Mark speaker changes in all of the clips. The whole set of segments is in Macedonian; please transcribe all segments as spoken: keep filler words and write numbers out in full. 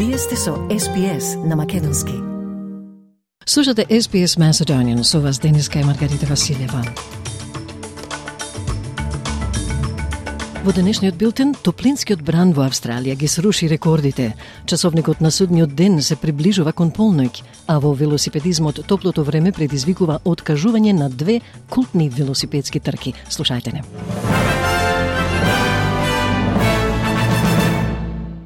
Speaker 1: Вие сте со Ес Би Ес на македонски.
Speaker 2: Слушате Ес Би Ес Macedonian, со вас денеска е Маргарита Василева. Во денешниот билтен, топлинскиот бран во Австралија ги сруши рекордите. Часовникот на судниот ден се приближува кон полноќ, а во велосипедизмот топлото време предизвикува откажување на две култни велосипедски трки. Слушајте не.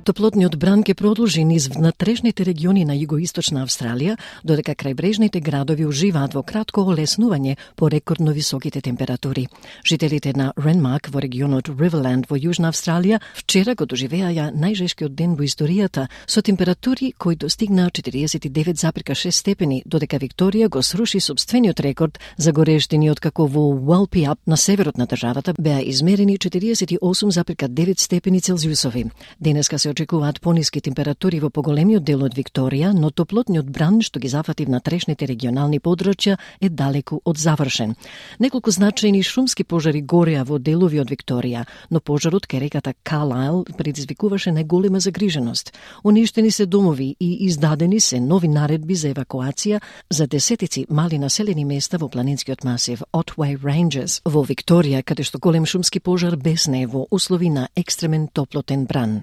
Speaker 2: Топлотниот бран ќе продолжи низ внатрешните региони на југоисточна Австралија, додека крајбрежните градови уживаат во кратко олеснување по рекордно високите температури. Жителите на Ренмарк во регионот Риверленд во Јужна Австралија вчера го доживеаја најжешкиот ден во историјата со температури кои достигнаа четириесет и девет зарез шест степени, додека Викторија го сруши сопствениот рекорд за горештини откако во Уалпиап на северот на државата беа измерени четириесет и осум зарез девет степени Целзиусови. Денеска се очекуваат пониски температури во поголемиот дел од Викторија, но топлотниот бран што ги зафати внатрешните регионални подрачја е далеку од завршен. Неколку значајни шумски пожари гореа во делови од Викторија, но пожарот кај реката Карлайл предизвикуваше најголема загриженост. Уништени се домови и издадени се нови наредби за евакуација за десетици мали населени места во планинскиот масив Otway Ranges во Викторија, каде што голем шумски пожар бесне во услови на екстремен топлотен бран.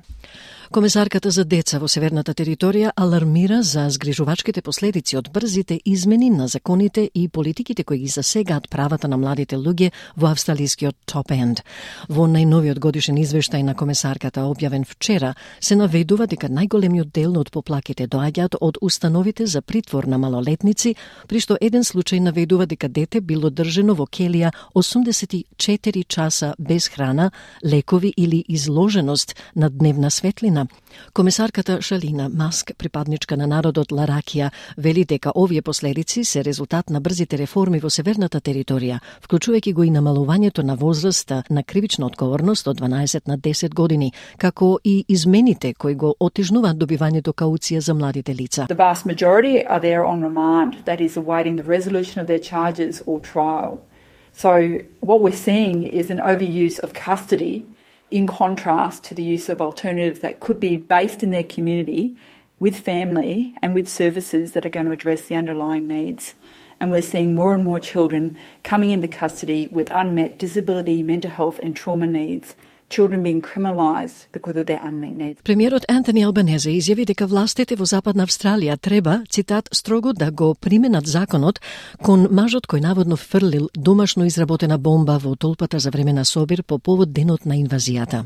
Speaker 2: Комесарката за деца во Северната територија алармира за згрижувачките последици од брзите измени на законите и политиките кои ги засегаат правата на младите луѓе во австралискиот топ енд. Во најновиот годишен извештај на комесарката објавен вчера се наведува дека најголемиот дел од поплаките доаѓаат од установите за притвор на малолетници, при што еден случај наведува дека дете било држено во келија осумдесет и четири часа без храна, лекови или изложеност на дневна светлина. Комесарката Шалина Маск, припадничка на народот Ларакија, вели дека овие последици се резултат на брзите реформи во Северната територија, вклучувајќи го и намалувањето на возраста на кривична одговорност од дванаесет на десет години, како и измените кои го отежнуваат добивањето кауција за младите лица.
Speaker 3: The vast majority are there on remand, that is awaiting the resolution of their charges or trial. So what we're seeing is an overuse of custody in contrast to the use of alternatives that could be based in their community with family and with services that are going to address the underlying needs. And we're seeing more and more children coming into custody with unmet disability, mental health and trauma needs. Children being criminalised because of their unmet needs.
Speaker 2: Премиерот Антони Албанезе изјави дека властите во Западна Австралија треба, цитат, строго да го применат законот кон мажот кој наводно фрлил домашно изработена бомба во толпата за време на собир по повод денот на инвазијата.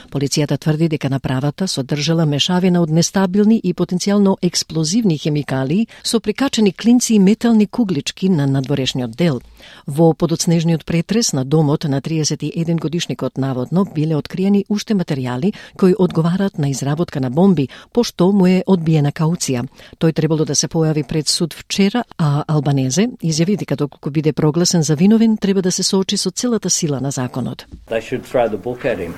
Speaker 2: Полицијата тврди дека направата содржала мешавина од нестабилни и потенцијално експлозивни хемикалии со прикачени клинци и метални куглички на надворешниот дел. Во подоцнежниот претрес на домот на триесет и еден годишникот наводно биле откриени уште материјали кои одговарат на изработка на бомби, пошто му е одбиена кауција. Тој требало да се појави пред суд вчера, а Албанезе изјави дека доколку биде прогласен за виновен, треба да се соочи со целата сила на законот.
Speaker 4: They should throw the book at him.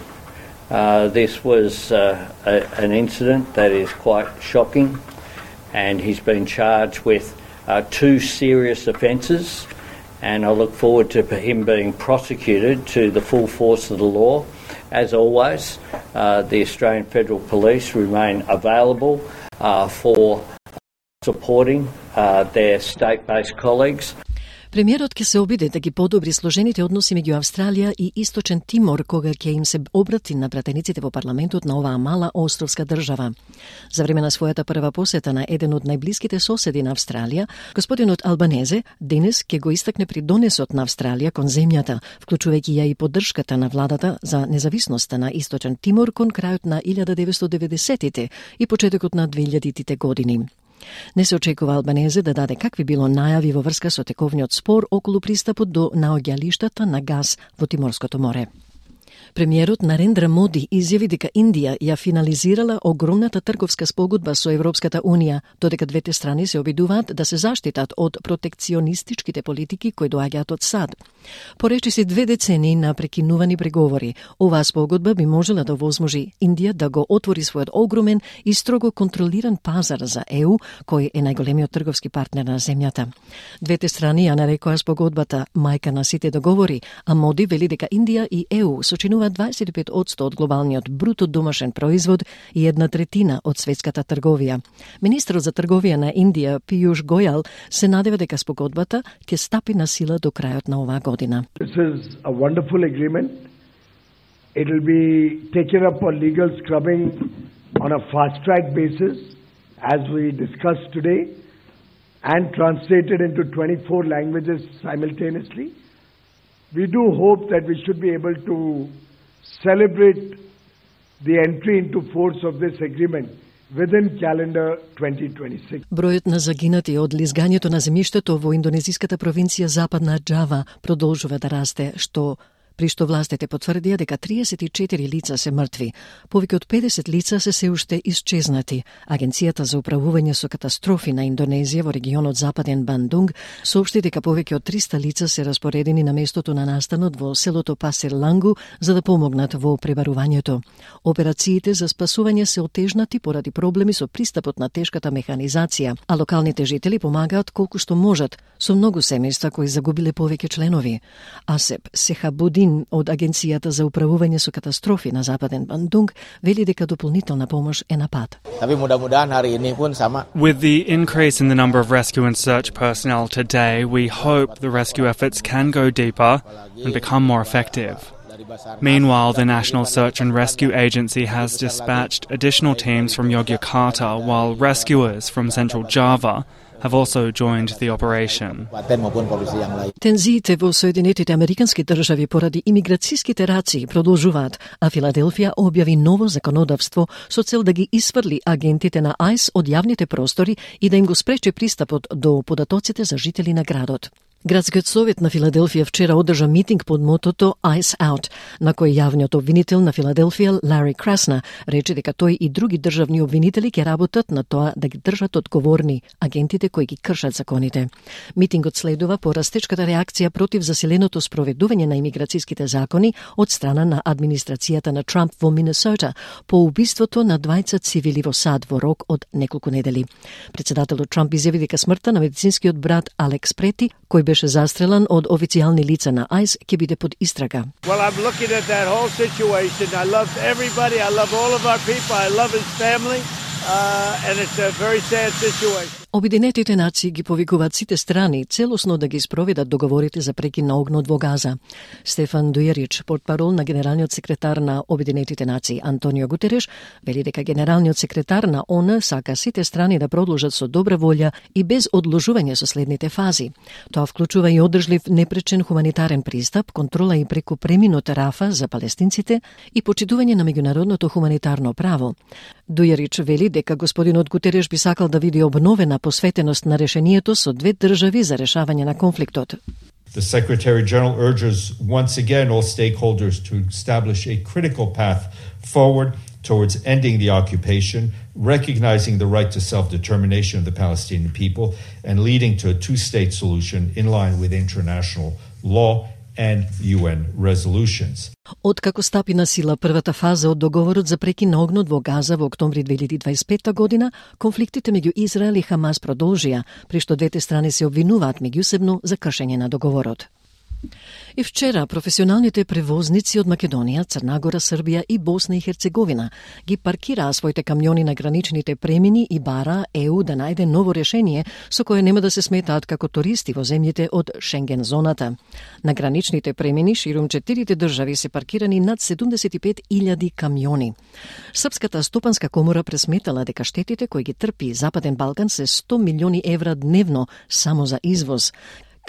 Speaker 4: Uh, this was uh, a, an incident that is quite shocking, and he's been charged with uh, two serious offences, and I look forward to him being prosecuted to the full force of the law. As always, uh, the Australian Federal Police remain available uh, for supporting uh, their state-based colleagues.
Speaker 2: Премиерот ќе се обиде да ги подобри сложените односи меѓу Австралија и Источен Тимор кога ќе им се обрати на пратениците во парламентот на оваа мала островска држава. За време на својата прва посета на еден од најблиските соседи на Австралија, господинот Албанезе денес ќе го истакне придонесот на Австралија кон земјата, вклучувајќи ја и поддршката на владата за независноста на Источен Тимор кон крајот на илјада деветстотини и деветдесетите и почетокот на двеилјадитите години. Не се очекува Албанезе да даде какви било најави во врска со тековниот спор околу пристапот до наоѓалиштата на газ во Тиморското море. Премиерот Нарендра Моди изјави дека Индија ја финализирала огромната трговска спогодба со Европската Унија, додека двете страни се обидуваат да се заштитат од протекционистичките политики кои доаѓаат од САД. Поречиси две децении на прекинувани преговори, оваа спогодба би можела да овозможи Индија да го отвори својот огромен и строго контролиран пазар за Е У, кој е најголемиот трговски партнер на земјата. Двете страни ја нарекоа спогодбата мајка на сите договори, а Моди вели дека Индија и Е У сочинуваат дваесет и пет одсто од глобалниот бруто домашен производ и една третина од светската трговија. Министерот за трговија на Индија, Пијуш Гојал, се надева дека спогодбата ќе стапи на сила до крајот на оваа година.
Speaker 5: This is a wonderful agreement. It will be taken up on legal scrubbing on a fast-track basis, as we discussed today, and translated into twenty-four languages simultaneously. We do hope that we should be able to celebrate the entry into force of this agreement within calendar twenty twenty-six.
Speaker 2: Бројот на загинати од лизгањето на земјиштето во индонезиската провинција Западна Џава продолжува да расте, што при што властите потврдија дека триесет и четири лица се мртви. Повеќе од педесет лица се се уште исчезнати. Агенцијата за управување со катастрофи на Индонезија во регионот Западен Бандунг соопшти дека повеќе од триста лица се распоредени на местото на настанот во селото Пасир Лангу за да помогнат во пребарувањето. Операциите за спасување се отежнати поради проблеми со пристапот на тешката механизација, а локалните жители помагаат колку што можат со многу семејства кои загубиле повеќе членови. Асеп Сехабудин од Агенцијата за управување со катастрофи на Западен Бандунг вели дека дополнителна помош е на пат.
Speaker 6: With the increase in the number of rescue and search personnel today, we hope the rescue efforts can go deeper and become more effective. Meanwhile, the National Search and Rescue Agency has dispatched additional teams from Yogyakarta, while rescuers from Central Java have also joined the operation.
Speaker 2: Тензиите во Соединетите Американски држави поради имиграцијските рации продолжуваат, а Филаделфија објави ново законодавство со цел да ги исфрли агентите на Айс од јавните простори и да им го спречи пристапот до податоците за жители на градот. Градскиот совет на Филаделфија вчера одржа митинг под мотото Ice Out, на кој јавниот обвинител на Филаделфија, Лари Красна, рече дека тој и други државни обвинители ќе работат на тоа да ги држат одговорни агентите кои ги кршат законите. Митингот следува по растечката реакција против засиленото спроведување на имиграцијските закони од страна на администрацијата на Трамп во Минесота по убиството на двајца цивили во сад во рок од неколку недели. Председателот Трамп изјави дека смртта на медицинскиот брат Алекс Прети, кој беше застрелан од официјални лица на Айс, ќе биде под истрага.
Speaker 7: Well, I'm looking at that whole situation. I love everybody. I love all of our people. I love his family. Uh, and it's a very sad situation.
Speaker 2: Обединетите нации ги повикуваат сите страни целосно да ги спроведат договорите за прекин на огнот во Газа. Стефан Дујерич, портпарол на генералниот секретар на Обединетите нации Антонио Гутереш, вели дека генералниот секретар на О Н сака сите страни да продолжат со добра волја и без одложување со следните фази. Тоа вклучува и одржлив непречен хуманитарен пристап, контрола и преку преминот Рафа за палестинците и почитување на меѓународното хуманитарно право. Дујерич вели дека господинот Гутереш би сакал да види обновена посветеност на решението со две држави за решавање на конфликтот.
Speaker 8: The Secretary General urges once again all stakeholders to establish a critical path forward towards ending the occupation, recognizing the right to self-determination of the Palestinian people, and leading to a two-state solution in line with international law and U N resolutions.
Speaker 2: Откако стапи на сила првата фаза од договорот за прекин на огнот во Газа во октомври две илјади дваесет и петта година, конфликтите меѓу Израел и Хамас продолжија, при што двете страни се обвинуваат меѓусебно за кршење на договорот. И вчера професионалните превозници од Македонија, Црна Гора, Србија и Босна и Херцеговина ги паркираа своите камиони на граничните премини и бара Е У да најде ново решение со кое нема да се сметаат како туристи во земјите од Шенген зоната. На граничните премини ширум четирите држави се паркирани над седумдесет и пет илјади камиони. Српската стопанска комора пресметала дека штетите кои ги трпи Западен Балкан се сто милиони евра дневно само за извоз.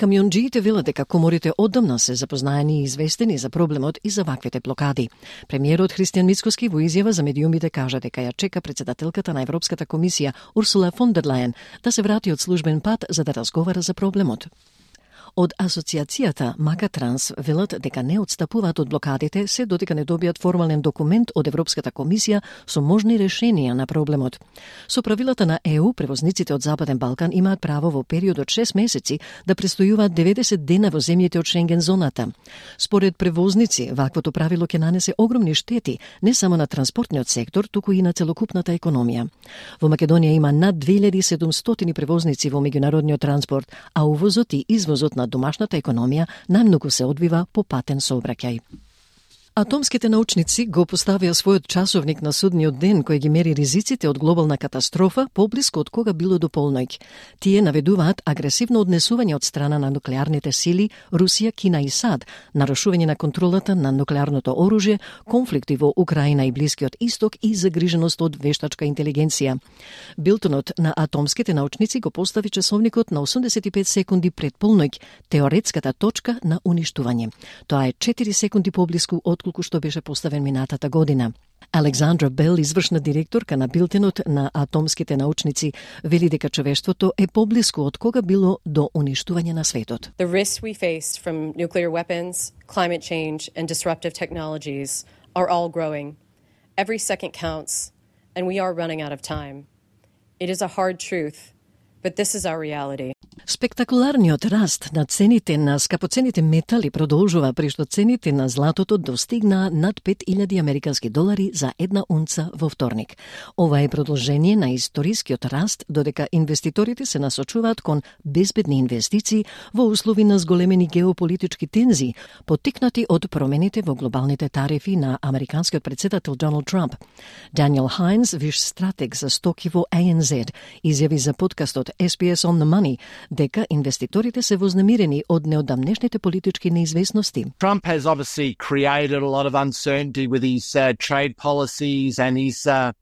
Speaker 2: Камионџиите велат дека коморите одамна се запознаени и известени за проблемот и за ваквите блокади. Премиерот Христијан Мицкоски во изјава за медиумите кажа дека ја чека председателката на Европската комисија Урсула фон дер Лајен да се врати од службен пат за да разговара за проблемот. Од асоциацијата Макатранс велат дека не отстапуваат од блокадите се додека не добијат формален документ од Европската комисија со можни решенија на проблемот. Со правилата на Е У, превозниците од Западен Балкан имаат право во период од шест месеци да престојуваат деветдесет дена во земјите од Шенген зоната. Според превозници, ваквото правило ќе нанесе огромни штети не само на транспортниот сектор, туку и на целокупната економија. Во Македонија има над две илјади и седумстотини превозници во меѓународниот транспорт, а увозот и извозот на домашната економија најмногу се одвива по патен сообраќај. Атомските научници го поставија својот часовник на судниот ден кој ги мери ризиците од глобална катастрофа поблиску од кога било до полноќ. Тие наведуваат агресивно однесување од страна на нуклеарните сили Русија, Кина и САД, нарушување на контролата на нуклеарното оружје, конфликти во Украина и Блискиот Исток и загриженост од вештачка интелигенција. Билтонот на атомските научници го постави часовникот на осумдесет и пет секунди пред полноќ, теоретската точка на уништување. Тоа е четири секунди поблиску од колку што беше поставен минатата година. Александра Бел, извршна директорка на Билтенот на атомските научници, вели дека човештвото е поблиску од кога било до уништување на светот.
Speaker 9: The risks we face from nuclear weapons, climate change and disruptive technologies are all growing. Every second counts and we are running out of time. It is a hard truth, but this is our reality.
Speaker 2: Спектакуларниот раст на цените на скапоцените метали продолжува, при што цените на златото достигнаа над пет илјади американски долари за една унца во вторник. Ова е продолжение на историскиот раст, додека инвеститорите се насочуваат кон безбедни инвестиции во услови на зголемени геополитички тензии, поттикнати од промените во глобалните тарифи на американскиот претседател Доналд Трамп. Даниел Хайнс, виш стратег за стоки во А Н Зед, изјави за подкастот С Б С on the Money дека инвеститорите се вознемирени од неодамнешните политички неизвестности.
Speaker 10: Trump has obviously created a lot of uncertainty with his uh, trade policies and his, uh,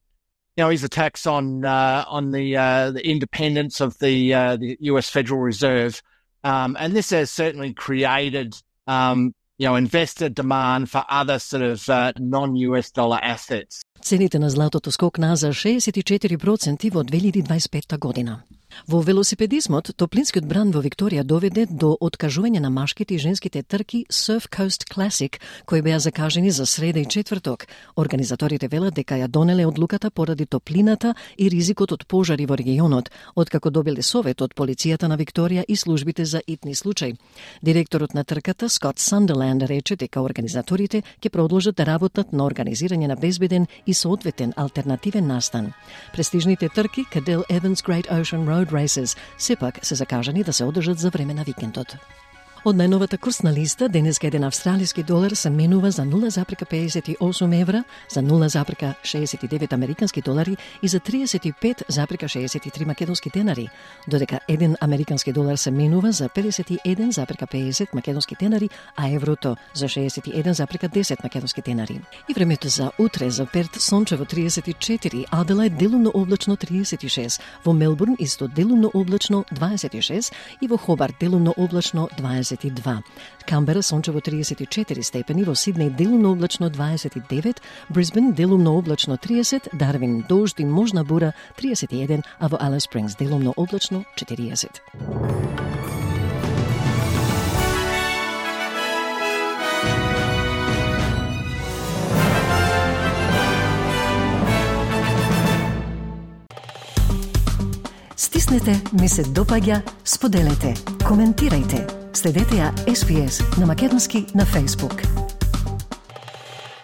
Speaker 10: you know, his attacks on uh, on the uh, the independence of the uh, the U S Federal Reserve, um, and this has certainly created, um, you know, investor demand for other sort of uh, non-U S dollar assets.
Speaker 2: Цените на златото скокнаа за шеесет и четири проценти во две илјади дваесет и петта година. Во велосипедизмот, топлинскиот бран во Викторија доведе до откажување на машките и женските трки Surf Coast Classic, кои беа закажени за среда и четврток. Организаторите велат дека ја донеле одлуката поради топлината и ризикот од пожари во регионот, откако добиле совет од полицијата на Викторија и службите за итни случаи. Директорот на трката Скот Сандерланд рече дека организаторите ќе продолжат да работат на организирање на безбеден и соодветен алтернативен настан. Престижните трки Cadel Evans Great Ocean Road Races сепак се закажани да се одржат за време на викендот. Од најновата курсна листа, денеска еден австралиски долар се менува за нула запрека педесет и осум евра, за нула запрека шеесет и девет американски долари и за триесет и пет запрека шеесет и три македонски денари, додека еден американски долар се менува за педесет и еден запрека педесет македонски денари, а еврото за шеесет и еден запрека десет македонски денари. И времето за утре: за Перт сончево триесет и четири, Аделајд делумно облачно триесет и шест, во Мелбурн исто делумно облачно дваесет и шест и во Хобарт делумно облачно дваесет и два. Камбера сончево триесет и четири степени, во Сиднеј делумно облачно дваесет и девет, Брисбен делумно облачно триесет, Дарвин дожд и можна бура триесет и еден, а во Алис Спрингс делумно облачно четириесет.
Speaker 1: Стиснете, ми се допаѓа, споделете, коментирајте. Следете ја С Б С на македонски на Facebook.